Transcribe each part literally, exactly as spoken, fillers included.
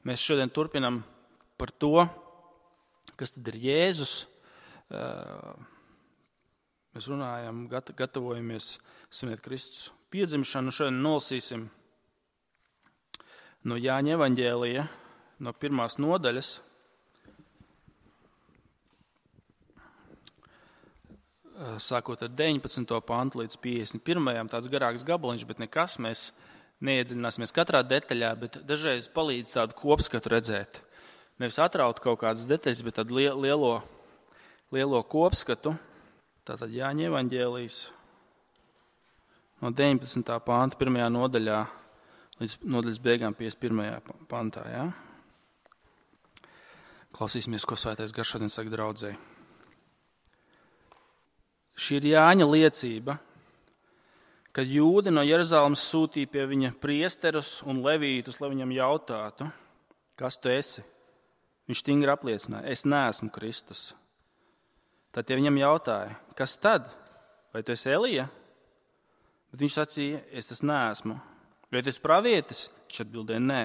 Mēs šodien turpinam par to, kas tad ir Jēzus. Mēs runājam, gatavojamies svinēt Kristus piedzimšanu. Šodien nolasīsim no Jāņa evaņģēlija, no pirmās nodaļas. Sākot ar deviņpadsmito pantu līdz piecdesmit pirmajam, tāds garāks gabaliņš, bet nekas, mēs neiedziļināsimies katrā detaļā, bet dažreiz palīdz tādu kopskatu redzēt. Nevis atraut kaut kādas detaļas, bet tādu lielo, lielo kopskatu. Tātad Jāņa evaņģēlijs no deviņpadsmitā panta pirmajā nodaļā līdz nodaļas beigām piecdesmit pirmajā pantā. Ja? Klausīsimies, ko Svētais Gars šodien saka draudzei. Šī ir Jāņa liecība, kad jūdi no Jeruzalemes sūtīja pie viņa priesterus un levītus, lai viņam jautātu, kas tu esi? Viņš stingri apliecināja, es neesmu Kristus. Tad tie viņam jautāja, kas tad? Vai tu esi Elija? Bet viņš sacīja, es tas neesmu. Vai tu esi pravietis? Viņš atbildēja, nē.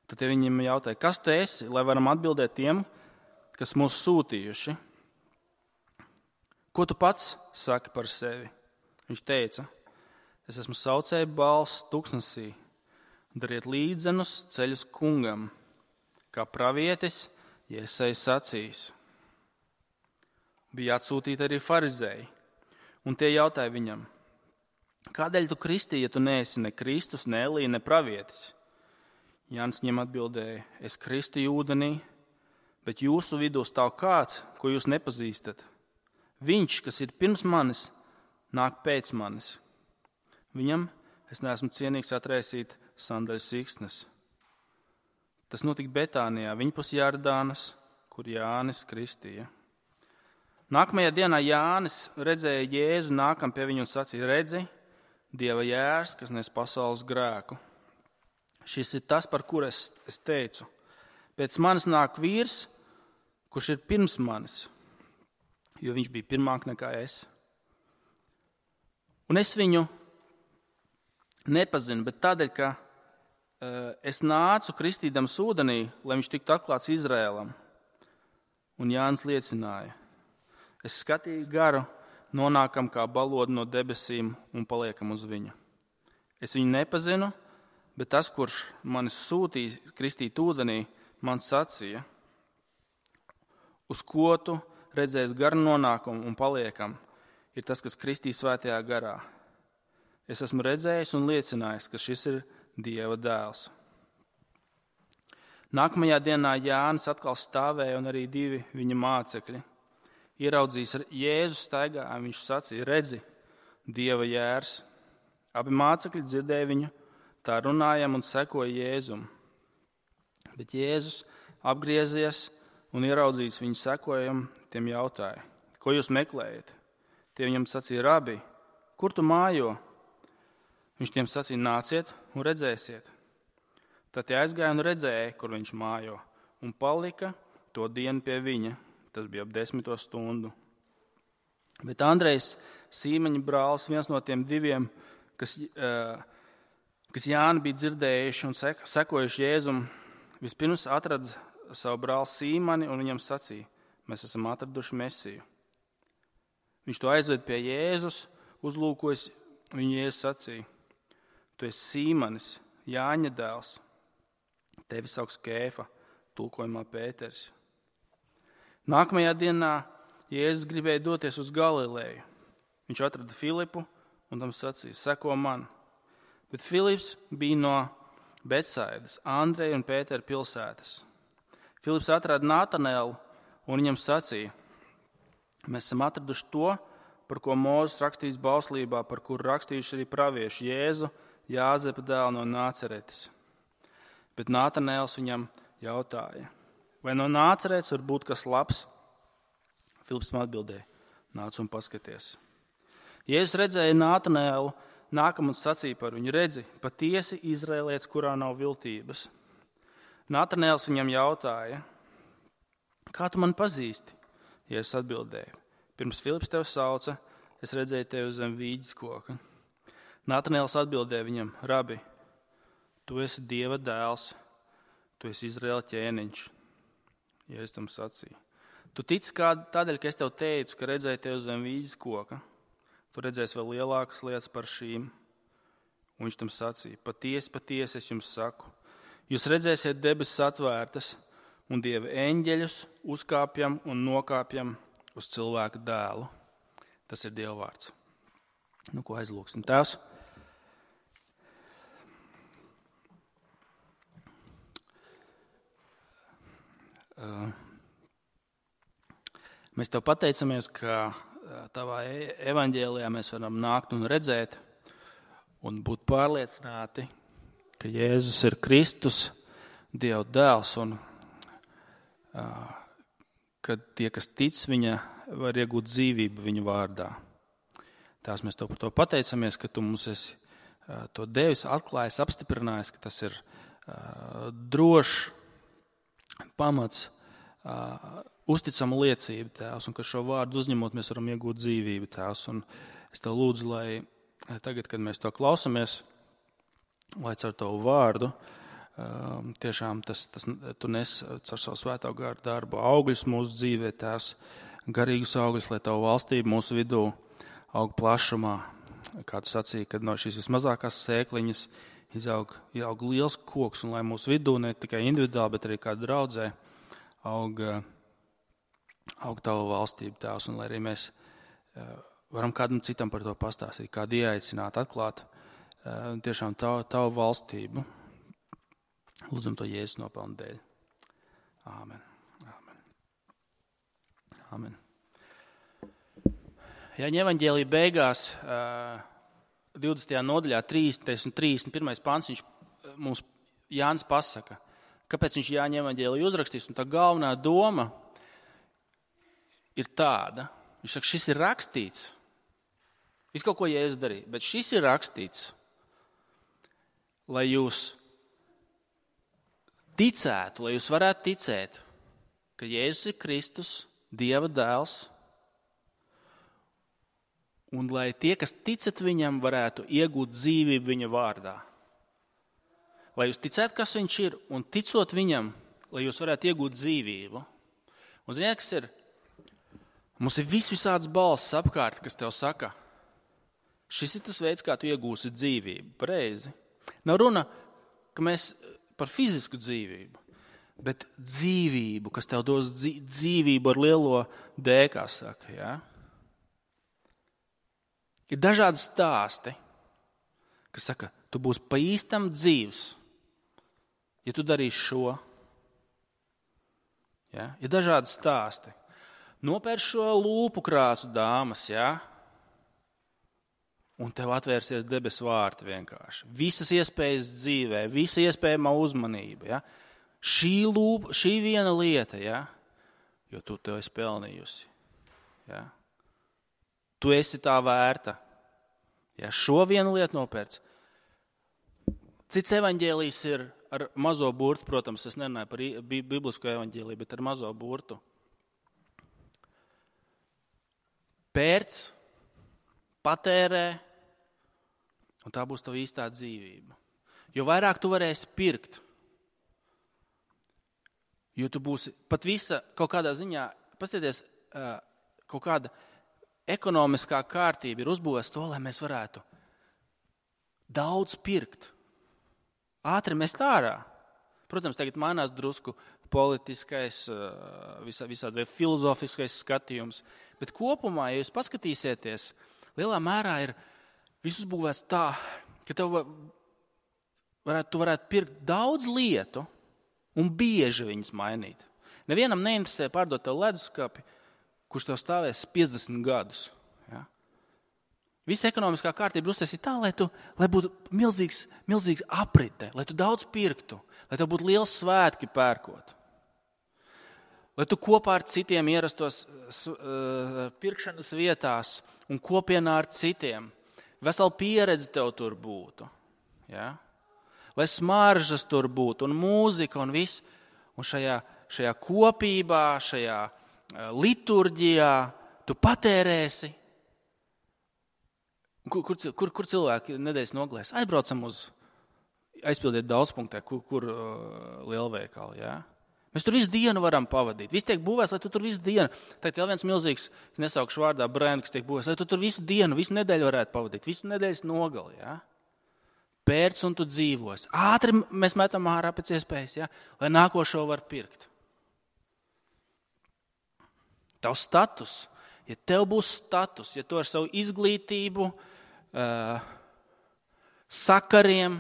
Tad tie viņam jautāja, kas tu esi, lai varam atbildēt tiem, kas mūs sūtījuši? Ko tu pats saki par sevi? Viņš teica, es esmu saucēja balss tuksnesī, dariet līdzenus ceļus kungam, kā pravietis Jesaja sacījis. Bija atsūtīti arī farizēji, un tie jautāja viņam, kādēļ tu kristīji, ja tu neesi ne Kristus, ne Elija, ne pravietis? Jānis viņam atbildēja, es kristīju ūdenī, bet jūsu vidū stāv kāds, ko jūs nepazīstat. Viņš, kas ir pirms manis, nāk pēc manis. Viņam es neesmu cienīgs atraisīt sandaļu siksnas. Tas notika Betānijā, viņpus Jardānas, kur Jānis kristīja. Nākamajā dienā Jānis redzēja Jēzu nākam pie viņu un sacīja, redzi, Dieva jērs, kas nes pasaules grēku. Šis ir tas, par kur es, es teicu. Pēc manis nāk vīrs, kurš ir pirms manis, jo viņš bija pirmāk nekā es. Un es viņu nepazinu, bet tādēļ, ka uh, es nācu kristīdams ūdenī, lai viņš tiktu atklāts Izrēlam. Un Jānis liecināja, es skatīju garu, nonākam kā balodu no debesīm un paliekam uz viņu. Es viņu nepazinu, bet tas, kurš manis sūtīja kristīt ūdenī, man sacīja, uz ko tu redzējis garu nonākumu un paliekam, ir tas, kas kristīs svētajā garā. Es esmu redzējis un liecinājis, ka šis ir Dieva dēls. Nākamajā dienā Jānis atkal stāvēja un arī divi viņa mācekļi. Ieraudzījis ar Jēzu staigā, viņš sacīja, redzi, Dieva jērs. Abi mācekļi dzirdēja viņu, tā runājam un sekoja Jēzum. Bet Jēzus apgriezies un ieraudzījis viņu sekojam, tiem jautāja, ko jūs meklējat? Tie viņam sacīja, rabi, kur tu mājo? Viņš tiem sacīja, nāciet un redzēsiet. Tad tie aizgāja un redzēja, kur viņš mājo, un palika to dienu pie viņa. Tas bija ap desmito stundu. Bet Andrejs, Sīmeņa brālis, viens no tiem diviem, kas, kas Jāni bija dzirdējuši un sekojuši Jēzum, vispirms atrada savu brāli Sīmani un viņam sacīja, mēs esam atraduši Mesiju. Viņš to aizved pie Jēzus, uzlūkojas, viņu Jēzus sacīja, tu esi Sīmanis, Jāņa dēls, tevi sauks Kēfa, tulkojumā Pēters. Nākamajā dienā Jēzus gribēja doties uz Galileju. Viņš atrada Filipu un tam sacīja, seko man. Bet Filips bija no Betsaidas, Andreja un Pētera pilsētas. Filips atrada Nātanelu un viņam sacīja, mēs esam atraduši to, par ko Mūzes rakstījis bauslībā, par kuru rakstījuši arī pravieši Jēzu, Jāzepa dēlu no Nāceretes. Bet Nātanēls viņam jautāja, vai no Nāceretes var būt kas labs? Filips man atbildēja, nāc un paskaties. Jēzus redzēja Nātanēlu, nākam un sacīja par viņu, redzi, patiesi Izraēlietis, kurā nav viltības. Nātanēls viņam jautāja, kā tu mani pazīsti? Jēzus atbildēja, pirms Filips tevi sauca, es redzēju tevi zem vīģes koka. Nātanēls atbildēja viņam, rabi, tu esi Dieva dēls, tu esi Izraēla ķēniņš. Jēzus tam sacīja. Tu tici kā tādēļ, ka es tev teicu, ka redzēji tevi zem vīģes koka. Tu redzēsi vēl lielākas lietas par šīm. Un viņš tam sacīja, patiesi, patiesi es jums saku. Jūs redzēsiet debesis atvērtas un Dieva eņģeļus uzkāpjam un nokāpjam uz cilvēka dēlu. Tas ir Dieva vārds. Nu, ko aizlūksim? Tēvs, uh, mēs tev pateicamies, ka tavā evaņģēlijā mēs varam nākt un redzēt un būt pārliecināti, ka Jēzus ir Kristus, Dieva dēls, un uh, ka tie, kas tic viņa, var iegūt dzīvību viņa vārdā. Tās mēs tev par to pateicamies, ka tu mums esi uh, to devis, atklājis, apstiprinājis, ka tas ir uh, drošs pamats, uh, uzticama liecība, Tēvs, un ka šo vārdu uzņemot, mēs varam iegūt dzīvību, Tēvs. Un es tev lūdzu, lai tagad, kad mēs to klausamies, lai caur tavu vārdu, tiešām tas, tas, tu nes caur savu svētā gara darbu augļus mūsu dzīvē, Tēvs, garīgus augļus, lai tavu valstību mūsu vidū aug plašumā. Kā tu sacīji, kad no šīs vismazākās sēkliņas izaug, izaug liels koks, un lai mūsu vidū ne tikai individuāli, bet arī kā draudzē aug, aug tavu valstību, Tēvs, un lai arī mēs varam kādam citam par to pastāstīt, kādu ieaicināt, atklāt tiešām tavu, tavu valstību. Lūdzam to Jēzus nopelnu dēļ. Āmen. Āmen. Āmen. Jāņa evaņģēlija beigās, divdesmitajā nodaļā, trīsdesmitais un trīsdesmit pirmais pants, viņš mums Jānis pasaka, kāpēc viņš Jāņa evaņģēliju uzrakstīs, un tā galvenā doma ir tāda. Viņš saka, šis ir rakstīts. Viss kaut ko Jēzus darīja, bet šis ir rakstīts, lai jūs ticētu, lai jūs varētu ticēt, ka Jēzus ir Kristus, Dieva dēls, un lai tie, kas ticat viņam, varētu iegūt dzīvību viņa vārdā. Lai jūs ticētu, kas viņš ir, un ticot viņam, lai jūs varētu iegūt dzīvību. Un ziniet, kas ir? Mums ir vis visādas balsis apkārt, kas tev saka, šis ir tas veids, kā tu iegūsi dzīvību. Pareizi. Nav runa, ka mēs par fizisku dzīvību, bet dzīvību, kas tev dos dzīvību ar lielo D, kā saka, jā. Ir dažādi stāsti, kas saka, tu būsi pa īstam dzīvs, ja tu darīsi šo. Jā. Ir dažādi stāsti. Nopērš šo lūpu krāsu dāmas, jā, un tev atvērsies debesu vārti vienkārši. Visas iespējas dzīvē, visa iespējamā uzmanība, jā. Šī lūpa, šī viena lieta, jā, jo tu tev esi pelnījusi, jā. Tu esi tā vērta. Jā, šo vienu lietu nopērc. Cits evaņģēlijs ir ar mazo burtu, protams, es nerunāju par biblisko evaņģēliju, bet ar mazo burtu. Pērc, patērē, un tā būs tava īstā dzīvība. Jo vairāk tu varēsi pirkt, jo tu būsi pat visa kaut kādā ziņā, paskatieties, kaut kāda ekonomiskā kārtība ir uzbūvēta to, lai mēs varētu daudz pirkt. Ātri mest ārā. Protams, tagad mainās drusku politiskais, visā, visādi filozofiskais skatījums, bet kopumā, ja jūs paskatīsieties, lielā mērā ir viss uzbūvēts tā, ka tev varētu, tu varētu pirkt daudz lietu un bieži viņas mainīt. Nevienam neinteresē pārdot tev leduskapi, kurš tev stāvēs piecdesmit gadus. Ja? Visa ekonomiskā kārtība uztaisīta tā, lai, tu, lai būtu milzīgs, milzīgs aprite, lai tu daudz pirktu, lai tev būtu liels svētki pērkot. Lai tu kopā ar citiem ierastos uh, pirkšanas vietās un kopienā ar citiem. Vesela pieredze tev tur būtu. Ja? Lai smaržas tur būtu un mūzika un viss. Un šajā, šajā kopībā, šajā liturģijā tu patērēsi. Kur, kur, kur, kur cilvēki nedēļas nogalēs? Aizbraucam uz aizpildiet daudzpunktē, kur, kur uh, lielveikali, jā. Mēs tur visu dienu varam pavadīt. Viss tiek būvēts, lai tu tur visu dienu. Tagad vēl viens milzīgs, es nesaukšu vārdā, brēni, kas tiek būvēts, lai tu tur visu dienu, visu nedēļu varētu pavadīt, visu nedēļas nogali, jā. Pērc un tu dzīvos. Ātri mēs metam ārā pēc iespējas, jā, lai nākošo var pirkt. Tavs status, ja tev būs status, ja tu ar savu izglītību, uh, sakariem,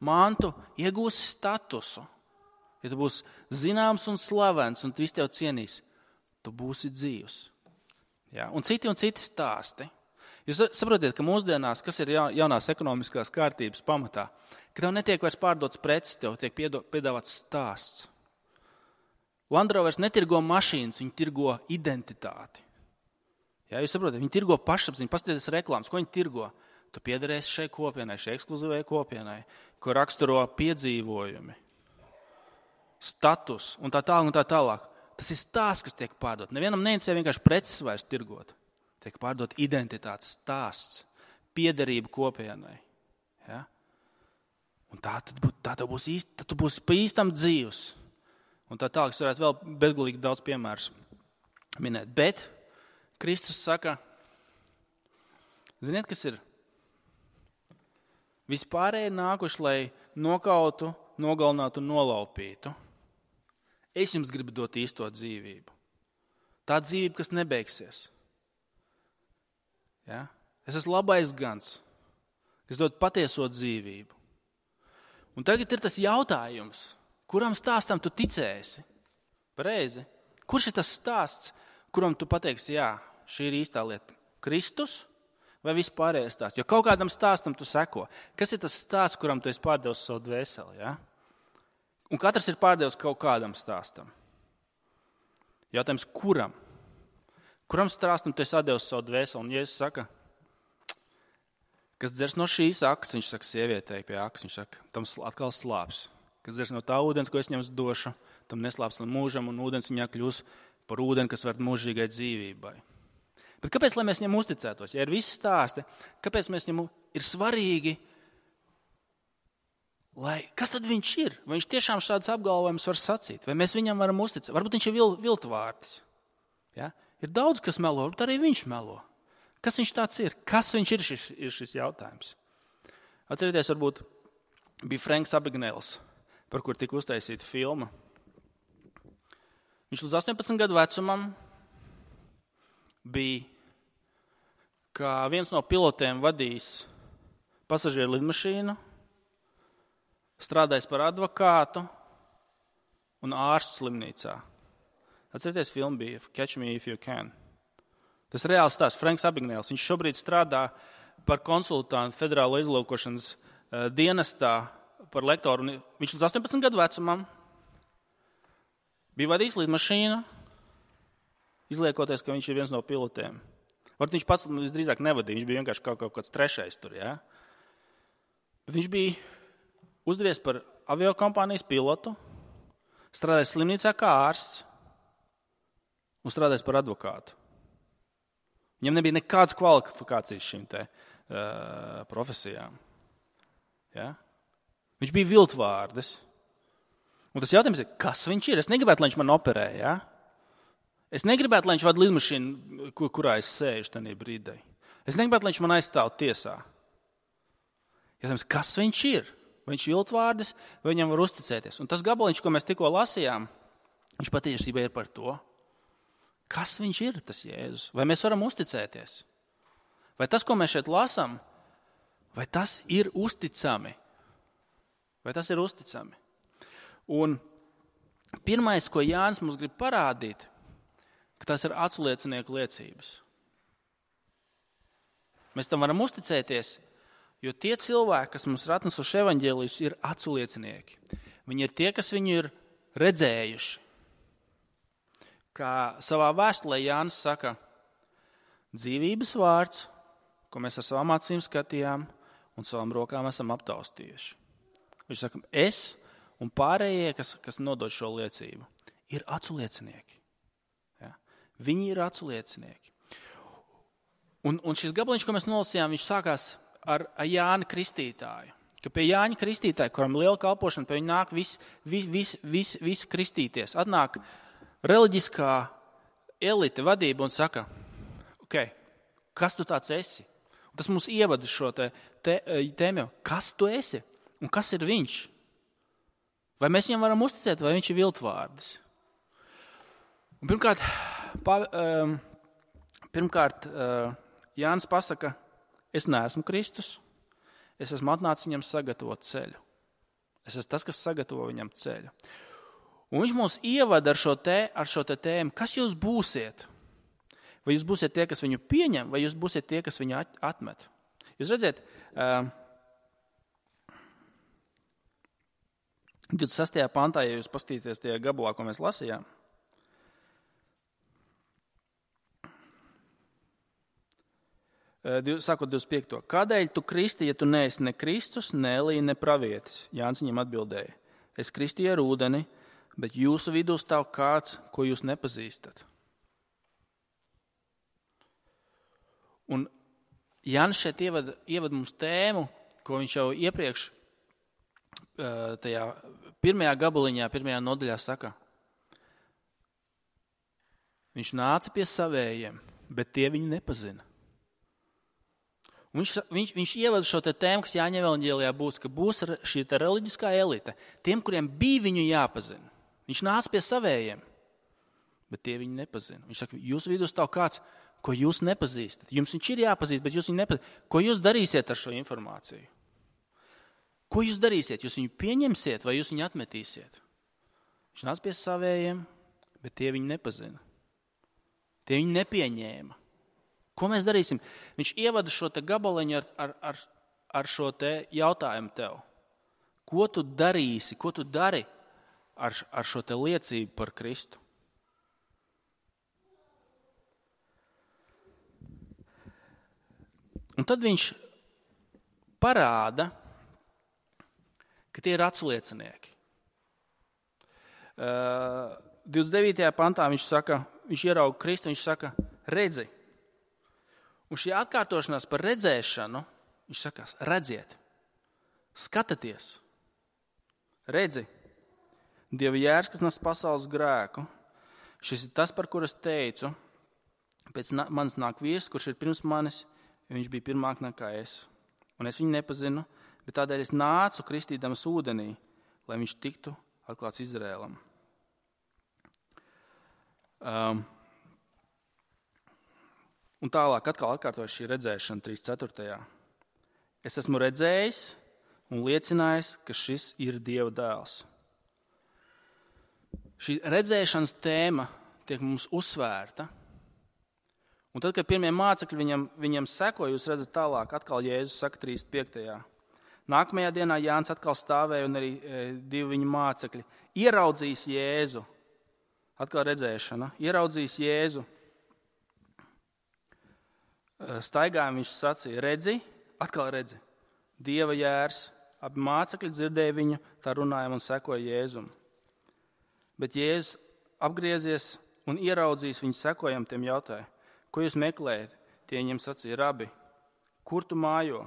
mantu iegūsi statusu, ja tu būsi zināms un slavens un tu visi tev cienīs, tu būsi dzīvs. Ja? Un citi un citi stāsti. Jūs saprotiet, ka mūsdienās, kas ir jaunās ekonomiskās kārtības pamatā, ka tev netiek vairs pārdots preces, tev tiek piedāvāts stāsts. Land Rovers netirgo mašīnas, viņi tirgo identitāti. Ja? Jūs saprotiet, viņi tirgo pašapziņu, paskatieties reklāmas, ko viņi tirgo. Tu piederēsi šai kopienai, šai ekskluzīvai kopienai, ko raksturo piedzīvojumi. Status un tā tālāk un tā tālāk. Tas ir stāsts, kas tiek pārdot. Nevienam neinteresē vienkārši preces vairs tirgot. Tiek pārdot identitātes stāsts, piederība kopienai. Ja? Un tā tad būs, tā būs īsti, tad tu būsi pa īstam dzīvs. Un tā tālāk es varētu vēl bezgalīgi daudz piemērus minēt. Bet Kristus saka, ziniet, kas ir? Vispārēji nākuši, lai nokautu, nogalinātu un nolaupītu. Es jums gribu dot īsto dzīvību. Tā dzīvība, kas nebeigsies. Ja? Es esmu labais gans, kas dod patieso dzīvību. Un tagad ir tas jautājums, kuram stāstam tu ticēsi? Pareizi. Kurš ir tas stāsts, kuram tu pateiksi, jā, šī ir īstā lieta? Kristus vai vispārējais stāsts? Jo kaut kādam stāstam tu seko. Kas ir tas stāsts, kuram tu esi pārdevis savu dvēseli? Ja? Un katrs ir pārdevis kaut kādam stāstam. Jautājums, kuram? Kuram stāstam tu esi atdevis savu dvēseli? Un Jēzus saka, kas dzers no šīs akas, viņš saka sievietei pie akas, viņš saka, tam atkal slāps. Kas dzers no tā ūdens, ko es jums došu, tam neslāps līdz mūžam, un ūdens viņā kļūs par ūdeni, kas var mūžīgai dzīvībai. Bet kāpēc, lai mēs viņam uzticētos? Ja ir visi stāsti, kāpēc mēs viņam ir svarīgi, lai, kas tad viņš ir? Vai viņš tiešām šādas apgalvojumus var sacīt? Vai mēs viņam varam uzticēt? Varbūt viņš ir vil, viltvārdis. Ja? Ir daudz, kas melo, varbūt arī viņš melo. Kas viņš tāds ir? Kas viņš ir šis, ir šis jautājums? Atcerieties, varbūt bija Franks Abagnēls, par kur tika uztaisīta filma. Viņš līdz astoņpadsmit gadu vecumam bija kā viens no pilotiem vadījis pasažieru lidmašīnu, strādājis par advokātu un ārstu slimnīcā. Atcerieties, filma bija Catch Me If You Can. Tas ir reāls stāsts. Franks Abagnēls. Viņš šobrīd strādā par konsultantu federālo izlūkošanas uh, dienestā par lektoru. Un viņš līdz astoņpadsmit gadu vecumam bija vadījis lidmašīnu, izliekoties, ka viņš ir viens no pilotiem. Varbūt viņš pats visdrīzāk nevadīja, viņš bija vienkārši kaut, kaut kāds trešais tur. Ja? Bet viņš bija uzdevies par aviokompānijas pilotu, strādājis slimnīcā kā ārsts un strādājis par advokātu. Viņam nebija nekādas kvalifikācijas šīm te uh, profesijām. Ja? Viņš bija viltvārdis. Un tas jautājums ir, kas viņš ir? Es negribētu, lai viņš man operē. Ja? Es negribētu, lai viņš vada lidmašīnu, kur, kurā es sēžu tajā brīdī. Es negribētu, lai viņš man aizstāv tiesā. Jautājums, kas viņš ir? Vai viņš ir viltvārdis, vai viņam var uzticēties? Un tas gabaliņš, ko mēs tikko lasījām, viņš patiesībā ir par to. Kas viņš ir, tas Jēzus? Vai mēs varam uzticēties? Vai tas, ko mēs šeit lasām, vai tas ir uzticami? Vai tas ir uzticami? Un pirmais, ko Jānis mums grib parādīt, ka tas ir aculiecinieku liecības. Mēs tam varam uzticēties, jo tie cilvēki, kas mums ir atnesuši evaņģēlijus, ir aculiecinieki. Viņi ir tie, kas viņu ir redzējuši. Kā savā vēstulē Jānis saka, dzīvības vārds, ko mēs ar savām acīm skatījām un savām rokām esam aptaustījuši. Viņš saka, es un pārējie, kas, kas nodod šo liecību, ir aculiecinieki. Ja? Viņi ir aculiecinieki. Un, un šis gabaliņš, ko mēs nolasījām, viņš sākās ar, ar Jāni Kristītāju, ka pie Jāņa Kristītāja, kuram liela kalpošana, pie viņa nāk visi vis, vis, vis, vis kristīties. Atnāk reliģiskā elite vadība un saka, ok, kas tu tāds esi? Un tas mums ievada šo te, te, tēmu, kas tu esi un kas ir viņš? Vai mēs viņam varam uzticēt, vai viņš ir viltvārds? Un pirmkārt, pa, um, pirmkārt uh, Jānis pasaka, es neesmu Kristus, es esmu atnācis viņam sagatavot ceļu. Es esmu tas, kas sagatavo viņam ceļu. Un viņš mūs ievada ar šo, te, ar šo te tēmu, kas jūs būsiet? Vai jūs būsiet tie, kas viņu pieņem, vai jūs būsiet tie, kas viņu atmet? Jūs redziet, uh, divdesmit sastajā pantā, ja jūs paskatīsieties tajā gabalā, ko mēs lasījām, sākot divdesmit piekto Kādēļ tu kristi, ja tu neesi ne Kristus, ne Elija, ne pravietis? Jānis viņam atbildēja, es kristīju ar ūdeni, bet jūsu vidū stāv kāds, ko jūs nepazīstat. Un Jānis šeit ievad, ievad mums tēmu, ko viņš jau iepriekš tajā pirmajā gabaliņā, pirmajā nodaļā saka. Viņš nāca pie savējiem, bet tie viņu nepazina. Un viņš, viņš, viņš ievada šo te tēmu, kas Jāņa evaņģēlijā būs, ka būs šī te reliģiskā elite, tiem, kuriem bija viņu jāpazina. Viņš nāca pie savējiem, bet tie viņu nepazina. Viņš saka, jūsu vidū stāv kāds, ko jūs nepazīstat. Jums viņš ir jāpazīst, bet jūs viņu nepazīstat. Ko jūs darīsiet ar šo informāciju? Ko jūs darīsiet? Jūs viņu pieņemsiet vai jūs viņu atmetīsiet? Viņš nāca pie savējiem, bet tie viņu nepazina. Tie viņu nepieņēma. Ko mēs darīsim? Viņš ievada šo te gabaliņu ar, ar, ar, ar šo te jautājumu tev. Ko tu darīsi, ko tu dari ar, ar šo te liecību par Kristu? Un tad viņš parāda, ka tie ir atsliecinieki. Uh, divdesmit devītajā pantā viņš saka, viņš ierauga Kristu, viņš saka, redzi. Un šī atkārtošanās par redzēšanu, viņš sakās, redziet, skatieties, redzi, Dieva jērs, kas nes pasaules grēku. Šis ir tas, par kur es teicu, pēc manis nāk vīrs, kurš ir pirms manis, viņš bija pirmāk nekā es. Un es viņu nepazinu, bet tādēļ es nācu kristīdams ūdenī, lai viņš tiktu atklāts Izrēlam. Um, Un tālāk atkal atkārtojas šī redzēšana trīsdesmit ceturtajā Es esmu redzējis un liecinājis, ka šis ir Dieva dēls. Šī redzēšanas tēma tiek mums uzsvērta. Un tad, kad pirmie mācekļi viņam, viņam seko, jūs redzat tālāk, atkal Jēzus saka trīsdesmit piektajā Nākamajā dienā Jānis atkal stāvēja un arī e, divi viņa mācekļi. Ieraudzījis Jēzu. Atkal redzēšana. Ieraudzījis Jēzu. Staigājām viņš sacīja, redzi, atkal redzi, Dieva jērs, abi mācekļi dzirdēja viņu, tā runājam un sekoja Jēzum. Bet Jēzus apgriezies un ieraudzījis viņu sekojam, tiem jautāja, ko jūs meklējat? Tie viņiem sacīja, rabi, kur tu mājo?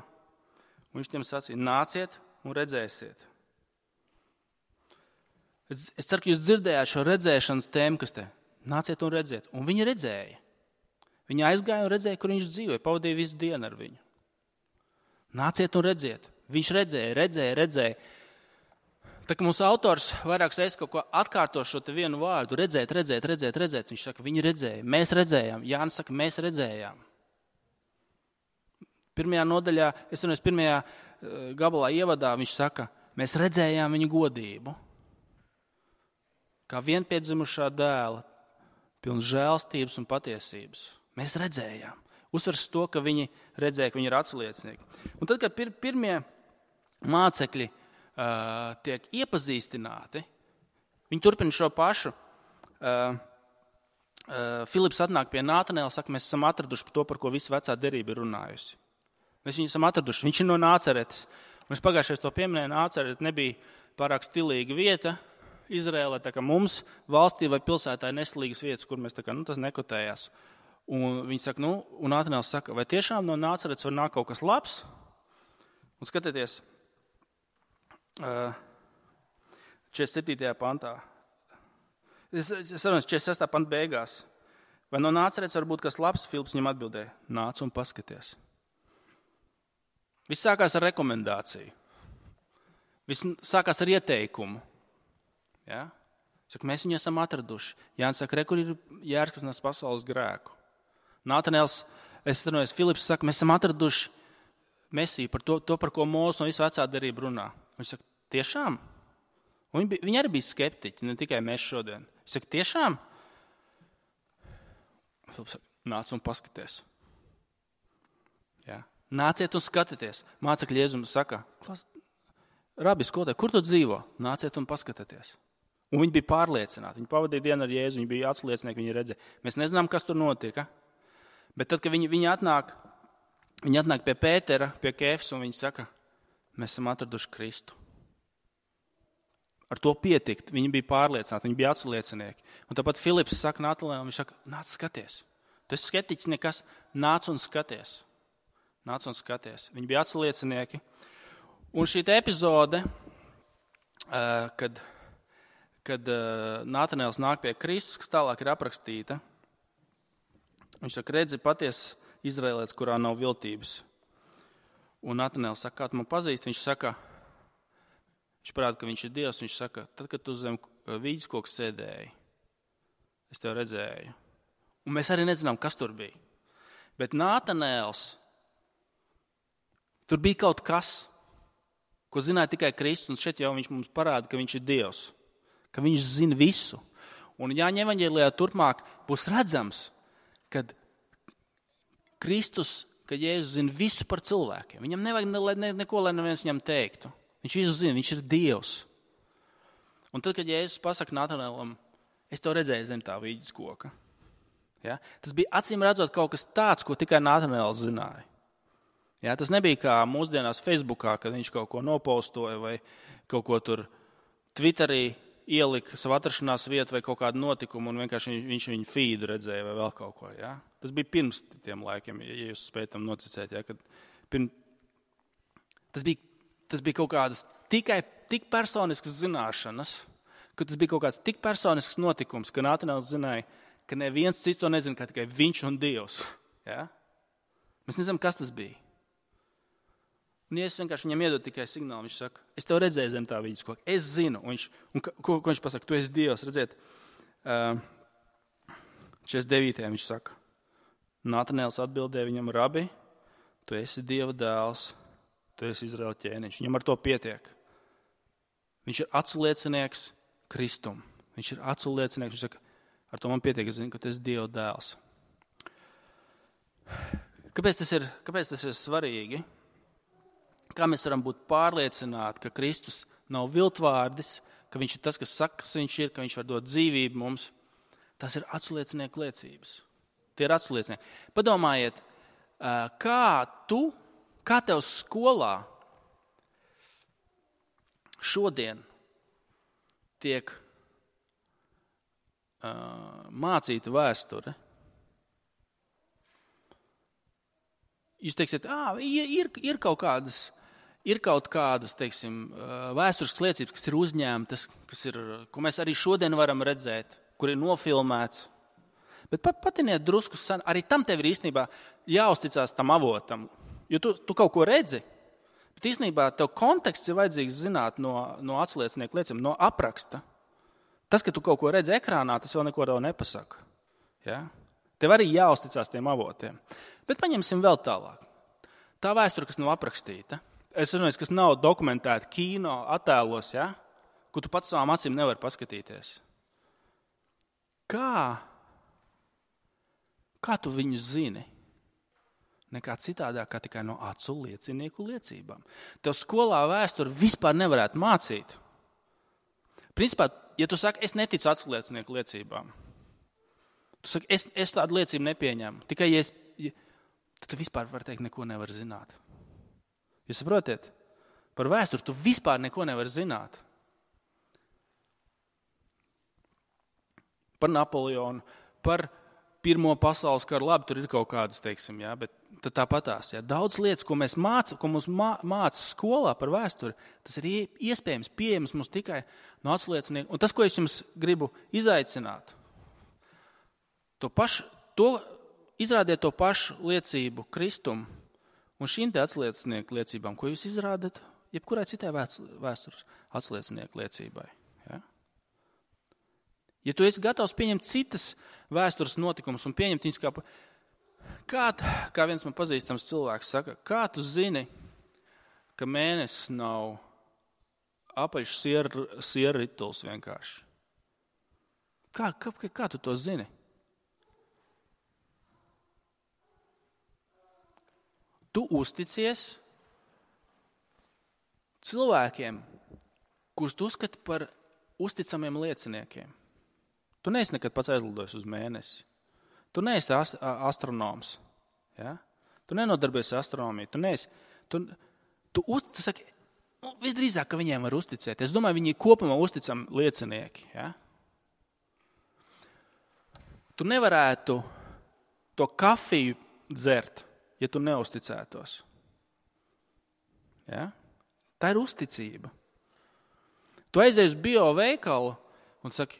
Un viņš tiem sacīja, nāciet un redzēsiet. Es, es ceru, ka jūs dzirdējāt šo redzēšanas tēmu, kas te, nāciet un redziet. Un viņi redzēja. Viņi aizgāja un redzēja, kur viņš dzīvoja, pavadīja visu dienu ar viņu. Nāciet un redziet. Viņš redzēja, redzēja, redzēja. Tā kā mūsu autors vairākas reizes kaut ko atkārto šo te vienu vārdu, redzēt, redzēt, redzēt, redzēt, viņš saka, viņi redzēja, mēs redzējām. Jānis saka, mēs redzējām. Pirmajā nodaļā, es runāju, pirmajā gabalā ievadā, viņš saka, mēs redzējām viņa godību. Kā vienpiedzimušā dēla, pilns žēlstības un patiesības. Mēs redzējām. Uzsvers to, ka viņi redzēja, ka viņi ir atsliecinieki. Un tad, kad pir, pirmie mācekļi uh, tiek iepazīstināti, viņi turpina šo pašu. Uh, uh, Filips atnāk pie Nātanēla, saka, mēs esam atraduši to, par ko visa vecā derība ir runājusi. Mēs viņu esam atraduši. Viņš ir no Nāceretes. Mēs pagājušajā to pieminēja, Nācerete nebija pārāk stilīga vieta Izrēlē, tā kā mums valstī vai pilsētā ir neslīgas vietas, kur mēs tā kā, nu, tas nekotējās. Un viņi saka, nu, un Nātanēls saka, vai tiešām no Nāceretes var nākt kaut kas labs? Un skatieties, četrdesmit septītajā pantā. Es saprotu, četrdesmit sestajā pantā beigās. Vai no Nācerets var būt kas labs? Filips viņam atbildēja, nāc un paskaties. Viss sākās ar rekomendāciju. Viss sākās ar ieteikumu. Ja? Saka, mēs viņu esam atraduši. Jānis saka, re, kur ir jērs, kas nes pasaules grēku. Nātanēls, es runāju, Filips saka, mēs esam atraduši Mesiju par to, to par ko Mūzes un visu vecā derība runā. Viņš saka, tiešām? Un viņi, bija, viņi arī bija skeptiķi, ne tikai mēs šodien. Viņš saka, tiešām? Filips saka, nāc un paskaties. Ja? Nāciet un skatieties. Mācekļi Jēzus saka, Rabi, skolotāj, kur tu dzīvo? Nāciet un paskatieties. Un viņi bija pārliecināti. Viņi pavadīja dienu ar Jēzu, viņi bija atsliecinieki, viņi redzēja. Mēs nezinām, kas tur notika. Bet tad, kad viņi, viņi, atnāk, viņi atnāk pie Pētera, pie Kēfas, un viņi saka, mēs esam atraduši Kristu. Ar to pietikt. Viņi bija pārliecināti, viņi bija atsliecinieki. Un tāpat Filips saka Natanēlam, viņš saka, nāc skaties. Tu esi skeptiķis nekas, nāc un skaties. Nāc un skaties. Viņi bija atsliecinieki. Un šī epizode, kad, kad Natanēls nāk pie Kristus, kas tālāk ir aprakstīta, viņš saka, redzi, patiesi Izraēlietis, kurā nav viltības. Un Natanēls saka, kā tu man pazīsti? Viņš saka, viņš parāda, ka viņš ir Dievs. Viņš saka, tad, kad tu zem vīģes koka sēdēji, es tev redzēju. Un mēs arī nezinām, kas tur bija. Bet Natanēls, tur bija kaut kas, ko zināja tikai Kristus, un šeit jau viņš mums parāda, ka viņš ir Dievs, ka viņš zina visu. Un Jāņa evaņģēlijā turpmāk būs redzams, kad Kristus, ka Jēzus zina visu par cilvēkiem. Viņam nevajag ne, ne, neko, lai neviens viņam teiktu. Viņš visu zina, viņš ir Dievs. Un tad, kad Jēzus pasaka Natanēlam, es tev redzēju zem tā vīģes koka. Ja? Tas bija acīm redzot kaut kas tāds, ko tikai Natanēls zināja. Ja, tas nebija kā mūsdienās Facebookā, kad viņš kaut ko nopaustoja vai kaut ko tur Twitterī ielika savu atrašanās vietu vai kaut kādu notikumu un vienkārši viņš, viņš viņu feedu redzēja vai vēl kaut ko. Ja. Tas bija pirms tiem laikiem, ja jūs spējat tam noticēt. Ja, kad pirm... tas, bija, tas bija kaut kādas tikai tik personiskas zināšanas, ka tas bija kaut kāds tik personisks notikums, ka Natanēls zināja, ka neviens cits to nezina, kā tikai viņš un Dievs. Ja. Mēs nezinām, kas tas bija. Un ja es vienkārši viņam iedod tikai signālu, viņš saka, es tev redzēju zem tā vīģes koka, es zinu. Un viņš, un ko, ko viņš pasaka, tu esi Dievs, redziet, četrdesmit devītajā viņš saka, Natanēls atbildēja viņam, Rabi, tu esi Dieva dēls, tu esi Izraēla ķēniņš. Viņam ar to pietiek. Viņš ir atsliecinieks Kristum. Viņš ir atsliecinieks, viņš saka, ar to man pietiek, es zinu, ka tu esi Dieva dēls. Kāpēc tas ir, kāpēc tas ir svarīgi? Kā mēs varam būt pārliecināti, ka Kristus nav viltvārdis, ka viņš ir tas, kas saka, kas viņš ir, ka viņš var dot dzīvību mums. Tas ir atsliecinieku liecības. Tie ir atsliecinieki. Padomājiet, kā tu, kā tev skolā šodien tiek mācīta vēsture. Jūs teiksiet, ā, ir, ir kaut kādas, ir kaut kādas, teiksim, vēsturiskas liecības, kas ir uzņēmtas, kas ir, ko mēs arī šodien varam redzēt, kur ir nofilmēts. Bet pat, patiniet drusku, arī tam tev ir īstenībā jāuzticās tam avotam, jo tu, tu kaut ko redzi, bet īstenībā tev konteksts ir vajadzīgs zināt no, no atsliecinieku liecībām, no apraksta. Tas, ka tu kaut ko redzi ekrānā, tas vēl neko tev nepasaka. Ja? Tev arī jāuzticās tiem avotiem. Bet paņemsim vēl tālāk. Tā vēsture, kas nav aprakstīta, es runāju, kas nav dokumentēta kino attēlos, ja? Ko tu pats savām acīm nevari paskatīties. Kā, kā tu viņu zini? Nekā citādāk, kā tikai no acu liecinieku liecībām. Tev skolā vēsturi vispār nevarētu mācīt. Principā, ja tu saki, es neticu acu liecinieku liecībām, tu saki, es, es tādu liecību nepieņemu. Tikai, ja es, ja, tad tu vispār, var teikt, neko nevar zināt. Jūs saprotiet? Par vēsturi tu vispār neko nevar zināt. Par Napoleonu, par Pirmo pasaules karu, labi, tur ir kaut kādas, teiksim, jā, bet tāpatās, jā, daudz lietas, ko mēs māca, ko mums māca skolā par vēsturi, tas ir iespējams, pieejams mums tikai no atsliecinieku. Un tas, ko es jums gribu izaicināt, to pašu, to, izrādiet to pašu liecību Kristumu un šīm te atsliecinieku liecībām, ko jūs izrādat jebkurai citai vēstures atsliecinieku liecībai. Ja? Ja tu esi gatavs pieņemt citas vēstures notikumus un pieņemt viņus kā, kā, kā viens man pazīstams cilvēks saka, kā tu zini, ka mēnesis nav apaļš sier, sierrituls vienkārši? Kā, kā, kā tu to zini? Tu uzticies cilvēkiem, kurus tu uzskati par uzticamiem lieciniekiem. Tu neesi nekad pats aizlidojis uz mēnesi. Tu neesi ast- astronoms. Ja? Tu nenodarbies astronomiju. Tu neesi. Tu, tu, uz, tu saki, nu, visdrīzāk, ka viņiem var uzticēt. Es domāju, viņi kopumā uzticami liecinieki. Ja? Tu nevarētu to kafiju dzert, ja tu neusticētos. Ja? Tā ir uzticība. Tu aizies uz bio veikalu un saki,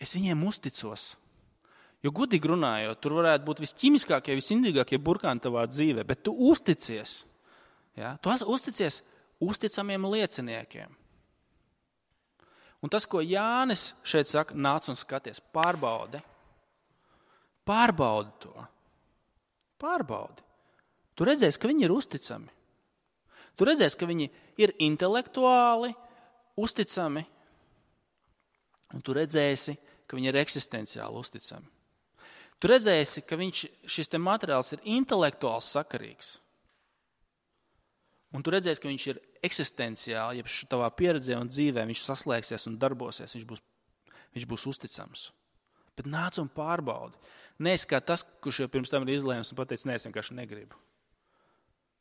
es viņiem uzticos. Jo gudīgi runājot, tur varētu būt visķimiskākie, visindīgākie burkāni tavā dzīvē, bet tu uzticies. Ja? Tu uzticies uzticamiem lieciniekiem. Un tas, ko Jānis šeit saka, nāc un skaties, pārbaudi. Pārbaudi to. Pārbaudi. Tu redzēsi, ka viņi ir uzticami. Tu redzēsi, ka viņi ir intelektuāli uzticami. Un tu redzēsi, ka viņi ir eksistenciāli uzticami. Tu redzēsi, ka viņš, šis te materiāls ir intelektuāls sakarīgs. Un tu redzēsi, ka viņš ir eksistenciāli, ja tavā pieredzē un dzīvē viņš saslēgsies un darbosies, viņš būs, viņš būs uzticams. Bet nāc un pārbaudi. Neesi kā tas, kurš jau pirms tam ir izlēms un pateicis, ne, es vienkārši negribu.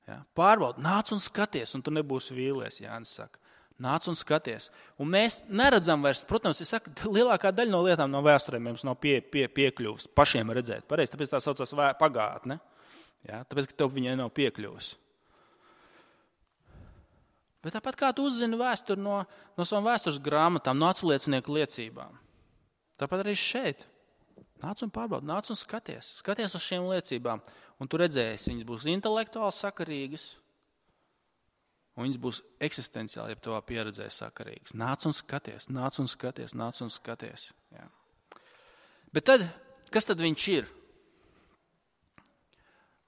Ja? Pārbaudi, nāc un skaties, un tu nebūsi vīlies, Jānis saka. Nāc un skaties. Un mēs neredzam vairs, protams, es saku, lielākā daļa no lietām no vēsturēm mums nav pie, pie, piekļuvis pašiem redzēt. Pareizi, tāpēc tā saucās pagātne. Ja? Tāpēc, ka tev viņai nav piekļuvis. Bet tāpat kā tu uzzini vēsturi no, no savām vēstures grāmatām, no atsliecinieku liecībām. Tāpat arī šeit. Nāc un pārbaudi, nāc un skaties. Skaties uz šīm liecībām. Un tu redzēsi, viņas būs intelektuāli sakarīgas. Un viņas būs eksistenciāli, ja tavā pieredzē sakarīgas. Nāc un skaties, nāc un skaties, nāc un skaties. Jā. Bet tad, kas tad viņš ir?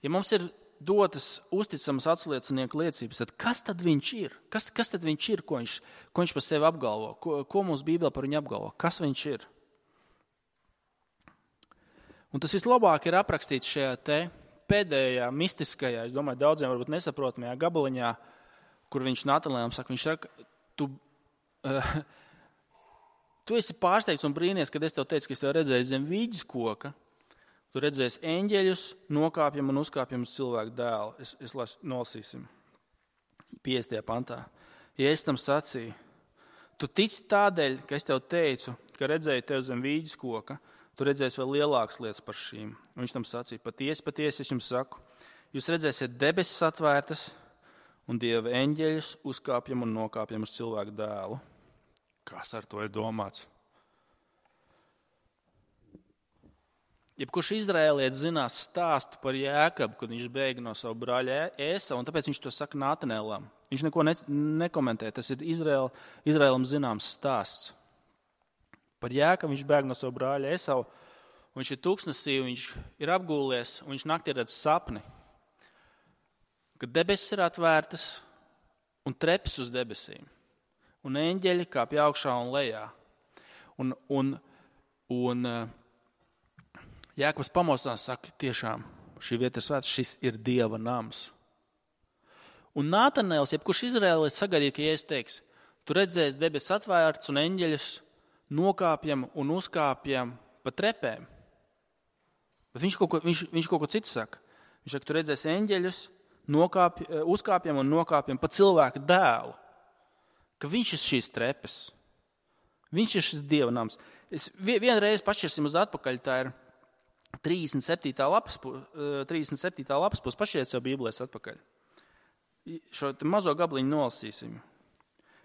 Ja mums ir dotas uzticamas atsliecinieku liecības, tad kas tad viņš ir? Kas, kas tad viņš ir, ko viņš, ko viņš par sevi apgalvo? Ko, ko mums Bībelē par viņu apgalvo? Kas viņš ir? Un tas vislabāk ir aprakstīts šajā te pēdējā mistiskajā, es domāju, daudziem varbūt nesaprotamajā gabaliņā, kur viņš Natanēlam saka, viņš saka, tu, uh, tu esi pārsteigts un brīnies, kad es tev teicu, ka es tev redzēju zem vīģes koka, tu redzēsi eņģeļus, nokāpjam un uzkāpjam uz cilvēku dēlu. Es, es las, nolasīsim piecdesmitajā pantā. Ja es tam sacīju, tu tici tādēļ, ka es tev teicu, ka redzēju tev zem vīģes koka, tu redzēsi vēl lielākas lietas par šīm. Un viņš tam sacīja, patiesi, patiesi, es jums saku, jūs redzēsiet debesis atvērtas, un Dieva eņģeļus uzkāpjam un nokāpjam uz cilvēku dēlu. Kas ar to ir domāts? Jebkurš izraēlietis zinās stāstu par Jēkabu, kad viņš bēga no savu brāļa Ēsavu, un tāpēc viņš to saka Natanēlam. Viņš neko ne, nekomentē, tas ir Izraēl, Izraēlam zināms stāsts. Par Jēkabu viņš bēga no savu brāļa Ēsavu, un viņš ir tūkstnesī, viņš ir apgūlies, un viņš naktī redz sapni. Kad debesis ir atvērtas un trepes uz debesīm, un eņģeļi kāpj augšā un lejā. Un, un, un Jēkabs pamostās, saka, tiešām šī vieta ir svēta, šis ir Dieva nams. Un Natanēls, jebkurš izraēlietis sagaidīja, ka Jēzus teiks, tu redzēsi debesis atvērtas un eņģeļus nokāpjam un uzkāpjam pa trepēm. Bet viņš kaut ko, viņš, viņš kaut ko citu saka. Viņš saka, tu redzēsi eņģeļus, Nokāpj, uzkāpjam un nokāpjam pa cilvēku dēlu, ka viņš ir šīs trepes. Viņš ir šis Dieva nams. Es vienreiz pašķirsim uz atpakaļ, tā ir trīsdesmit septītā lapas, trīsdesmit septītā lapas pus, pašiet sev Bībelēs atpakaļ. Šo mazo gabaliņu nolasīsim.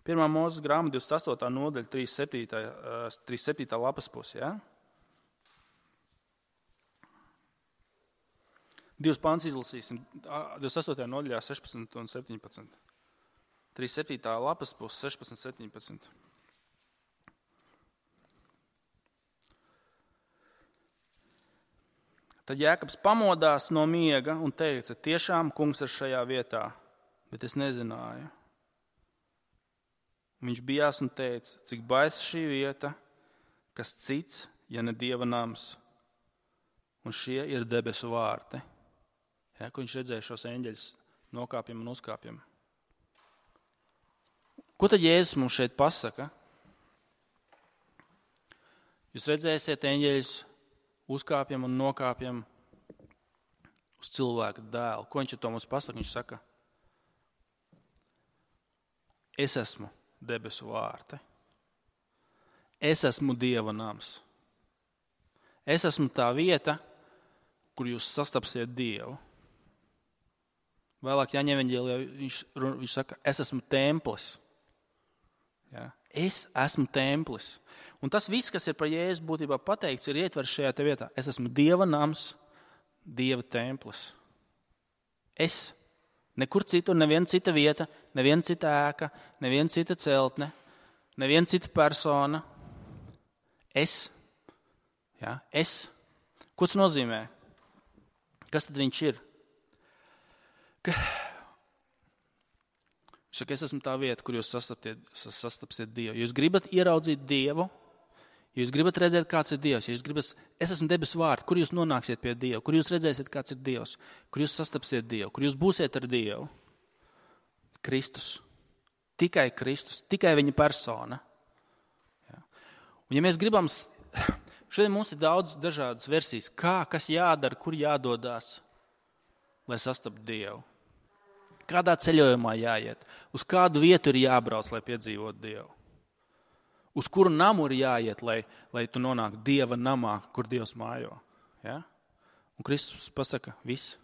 Pirmā Mūzes grāmata divdesmit astotā nodaļa, trīsdesmit septītā lapas pus, jā? Divus pants izlasīsim, divdesmit astotajā nodaļā sešpadsmit un septiņpadsmit. trīsdesmit septītā lapas pus, sešpadsmit, septiņpadsmit. Tad Jēkabs pamodās no miega un teica, tiešām kungs ir šajā vietā, bet es nezināju. Viņš bijās un teica, cik baisa šī vieta, kas cits, ja ne Dieva nams, un šie ir debesu vārti. Ja, ko viņš redzēja šos eņģeļus nokāpjam un uzkāpjam. Ko tad Jēzus mums šeit pasaka? Jūs redzēsiet eņģeļus uzkāpjam un nokāpjam uz cilvēka dēlu. Ko viņš ar to mums pasaka? Viņš saka, es esmu debesu vārti. Es esmu Dieva nams. Es esmu tā vieta, kur jūs sastapsiet Dievu. Vēlāk Jāņa evaņģēlijā viņš, viņš saka, es esmu templis. Ja? Es esmu templis. Un tas viss, kas ir par Jēzu būtībā pateikts, ir ietverts šajā te vietā. Es esmu Dieva nams, Dieva templis. Es. Nekur citur, neviena cita vieta, neviena cita ēka, neviena cita celtne, neviena cita persona. Es. Ja? Es. Ko tas nozīmē? Kas tad viņš ir? Ka... Viņš saka, es esmu tā vieta, kur jūs sastapsiet Dievu. Jūs gribat ieraudzīt Dievu, ja jūs gribat redzēt, kāds ir Dievs, ja jūs gribat, es esmu debesu vārti, kur jūs nonāksiet pie Dieva, kur jūs redzēsiet, kāds ir Dievs, kur jūs sastapsiet Dievu, kur jūs būsiet ar Dievu. Kristus. Tikai Kristus, tikai viņa persona. Ja. Un ja mēs gribam, šodien mums ir daudz dažādas versijas, kā, kas jādara, kur jādodās, lai sastaptu Dievu. Kādā ceļojumā jāiet, uz kādu vietu ir jābrauc, lai piedzīvotu Dievu. Uz kuru namu ir jāiet, lai, lai tu nonāktu Dieva namā, kur Dievs mājo. Ja? Un Kristus pasaka, viss.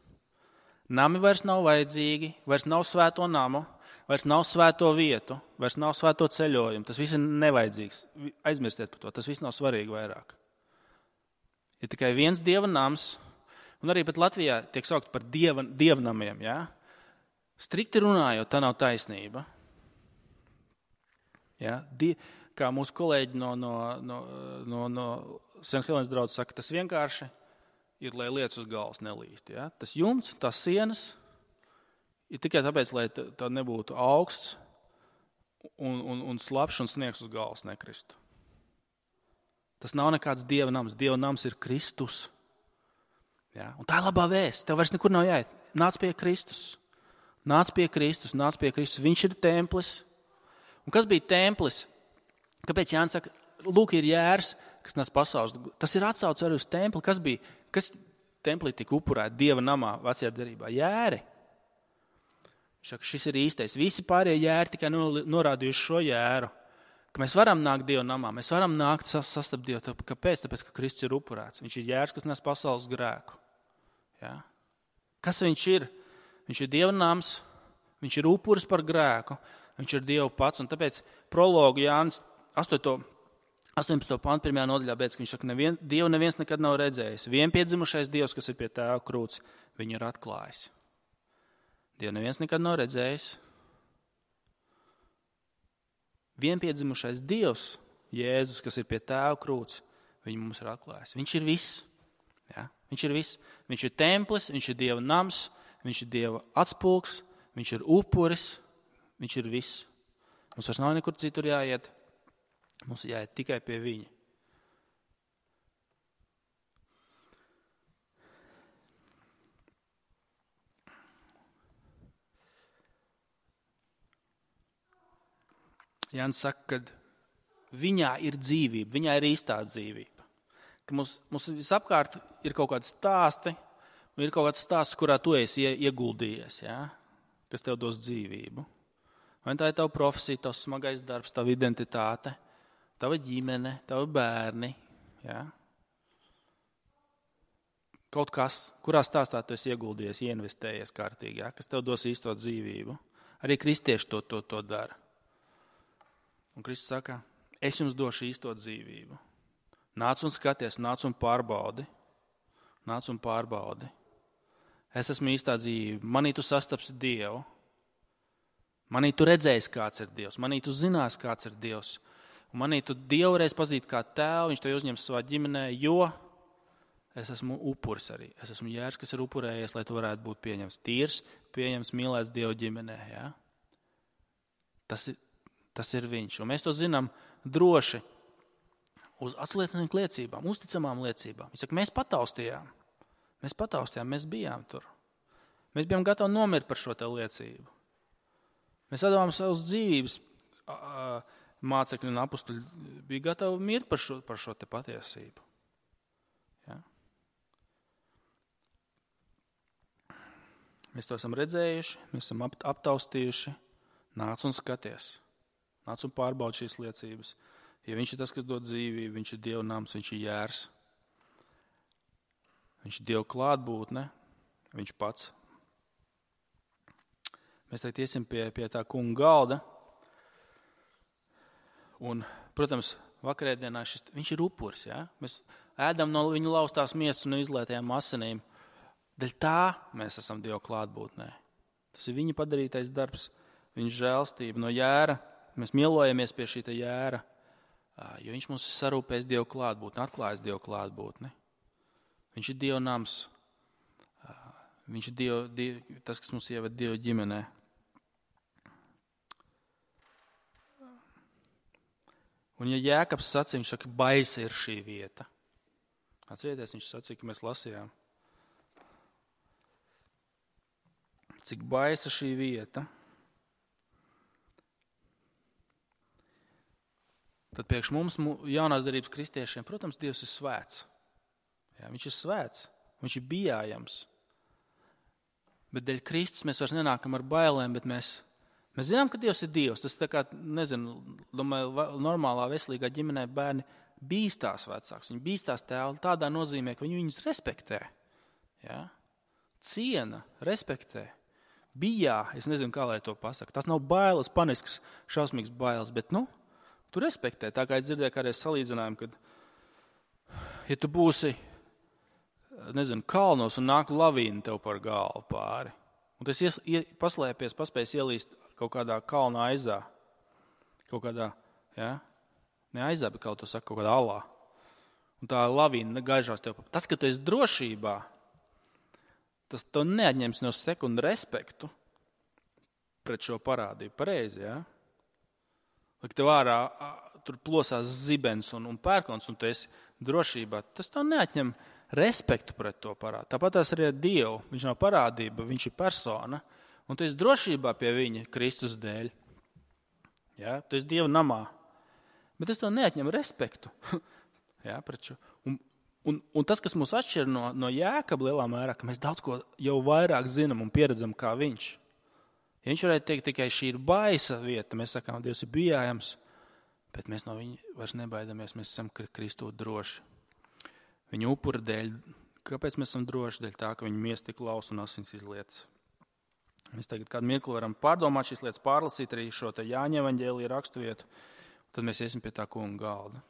Nami vairs nav vajadzīgi, vairs nav svēto namu, vairs nav svēto vietu, vairs nav svēto ceļojumu. Tas viss ir nevajadzīgs. Aizmirstiet par to, tas viss nav svarīgi vairāk. Ir tikai viens Dieva nams, un arī pat Latvijā tiek saukt par dieva, dievnamiem. Ja? Strikti runājot, tā nav taisnība. Ja? Die, kā mūsu kolēģi no, no, no, no, no Saint Helēnas draudzes saka, tas vienkārši ir, lai lietas uz galvas nelīst. Ja? Tas jumts, tās sienas ir tikai tāpēc, lai tā nebūtu augsts un, un, un slapšs un sniegs uz galvas nekristu. Tas nav nekāds Dieva nams. Dieva nams ir Kristus. Ja? Un tā ir labā vēsts. Tev vairs nekur nav jāiet. Nāc pie Kristus. Nāc pie Kristus, nāc pie Kristus. Viņš ir templis. Un kas bija templis? Kāpēc Jānis saka, lūk, ir jērs, kas nes pasaules? Tas ir atsauce arī uz templi. Kas bija? Kas templī tika upurēti Dieva namā vecajā derībā? Jēri. Viņš saka, šis ir īstais. Visi pārējie jēri tikai norādījuši šo jēru. Ka mēs varam nākt Dieva namā, mēs varam nākt sastapt Dievu. Kāpēc? Tāpēc, ka Kristus ir upurēts. Viņš ir jērs, kas nes pasaules grēku. Ja? Kas viņš ir? Viņš ir Dieva nams, viņš ir upuris par grēku, viņš ir Dieva pats. Un tāpēc prologu Jānis astoņpadsmito pantu pirmajā nodaļā beidz, ka viņš saka, nevien, Dievu neviens nekad nav redzējis. Vienpiedzimušais Dievs, kas ir pie tēva krūts, viņu ir atklājis. Dievu neviens nekad nav redzējis. Vienpiedzimušais Dievs, Jēzus, kas ir pie tēva krūts, viņu mums ir atklājis. Viņš ir viss. Ja? Viņš ir viss. Viņš ir templis, viņš ir Dieva nams, viņš ir Dieva atspulgs, viņš ir upuris, viņš ir viss. Mums vairs nav nekur citur jāiet. Mums ir jāiet tikai pie viņa. Jānis saka, ka viņā ir dzīvība, viņā ir īstā dzīvība. Ka mums, mums visapkārt ir kaut kādi stāsti, un ir kaut kāds stāsts, kurā tu esi ieguldījies, ja? Kas tev dos dzīvību. Vai tā ir tava profesija, tavs smagais darbs, tava identitāte, tava ģimene, tavi bērni. Ja? kaut kas, kurā stāstā tu esi ieguldījies, ieinvestējies kārtīgi, ja? Kas tev dos īsto dzīvību. Arī kristieši to, to, to dara. Un Kristus saka, es jums došu īsto dzīvību. Nāc un skaties, nāc un pārbaudi. Nāc un pārbaudi. Es esmu īstā dzīvība. Manī tu sastapsi Dievu. Manī tu redzēsi, kāds ir Dievs. Manī tu zinās, kāds ir Dievs. Un manī tu Dievu reiz pazīt kā tēvu, viņš to uzņems savā ģimenē, jo es esmu upuris arī. Es esmu jērs, kas ir upurējies, lai tu varētu būt pieņems tīrs, pieņems, mīlēts Dievu ģimenē. Ja? Tas ir, tas ir viņš. Un mēs to zinām droši uz atsliecinājumu liecībām, uzticamām liecībām. Viņš saka, mēs pataustījām. Mēs pataustījām, mēs bijām tur. Mēs bijām gatavi nomirt par šo te liecību. Mēs atdevām savus dzīvības, mācekļi un apustuļi bija gatavi mirt par šo, par šo te patiesību. Ja? Mēs to esam redzējuši, mēs esam aptaustījuši. Nāc un skaties. Nāc un pārbaudi šīs liecības. Ja viņš ir tas, kas dod dzīvību, viņš ir Dieva nams, viņš ir jērs. Viņš ir Dieva klātbūtne, viņš pats. Mēs tagad iesim pie, pie tā kunga galda. Un, protams, vakarēdienā šis, viņš ir upuris. Ja? Mēs ēdam no viņa laustās miesas un izlietajām asinīm. Daļ tā mēs esam Dieva klātbūtnē. Tas ir viņa padarītais darbs, viņa žēlstība no jēra. Mēs mielojamies pie šī jēra, jo viņš mums ir sarūpējis Dieva klātbūtni, atklājis Dieva klātbūtni. Viņš ir Dieva nams. Viņš ir Dieva, Dieva, tas, kas mums ieved Dieva ģimenē. Un ja Jēkabs sacīja, viņš saka, baisa ir šī vieta. Atcerieties, viņš sacīja, ka mēs lasījām. Cik baisa šī vieta. Tad priekš mums, jaunās derības kristiešiem, protams, Dievs ir svēts. Jā, viņš ir svēts, viņš ir bijājams. Bet dēļ Kristus mēs vairs nenākam ar bailēm, bet mēs, mēs zinām, ka Dievs ir Dievs. Tas tā kā, nezinu, domāju, normālā veselīgā ģimenē bērni bīstās vecāks. Viņi bīstās tēvu tādā nozīmē, ka viņi viņus respektē. Jā? Ciena, respektē. Bijā, es nezinu, kā lai to pasaka. Tas nav bailes, panisks, šausmīgs bailes, bet, nu, tu respektē. Tā kā es dzirdēju kādreiz salīdzinājumu, kad, ja tu būsi, nezinu, kalnos un nāk lavīna tev par galvu pāri, un tas ies, ie, paslēpies, paspējas ielīst kaut kādā kalna aizā, kaut kādā, ja, ne aizā, bet kaut to saka, kaut kādā alā, un tā lavīna gaižās tev. Tas, ka tu esi drošībā, tas tev neatņems no sekundu respektu pret šo parādību. Pareizi, ja? Lai tev ārā tur plosās zibens un, un pērkons, un tu esi drošībā, tas tev neatņem respektu pret to parādu. Tāpat tās arī ar Dievu. Viņš nav parādība, viņš ir persona, un tu esi drošībā pie viņa Kristus dēļ. Ja? Tu esi Dieva namā. Bet tas tev neatņem respektu. Ja, pret šo. Un, un, un tas, kas mūs atšķir no, no Jēkaba lielā mērā, ka mēs daudz ko jau vairāk zinām un pieredzam kā viņš. Ja viņš varētu teikt, tikai šī ir baisa vieta, mēs sakām, Dievs ir bijājams, bet mēs no viņa vairs nebaidamies, mēs esam Kristū droši. Viņa upura dēļ, kāpēc mēs esam droši? Dēļ tā, ka viņa miesa tik laust un asins izlietas. Mēs tagad kādu mirkli varam pārdomāt šīs lietas, pārlasīt arī šo te Jāņa evaņģēlija raksturvietu, tad mēs iesim pie tā kunga galda.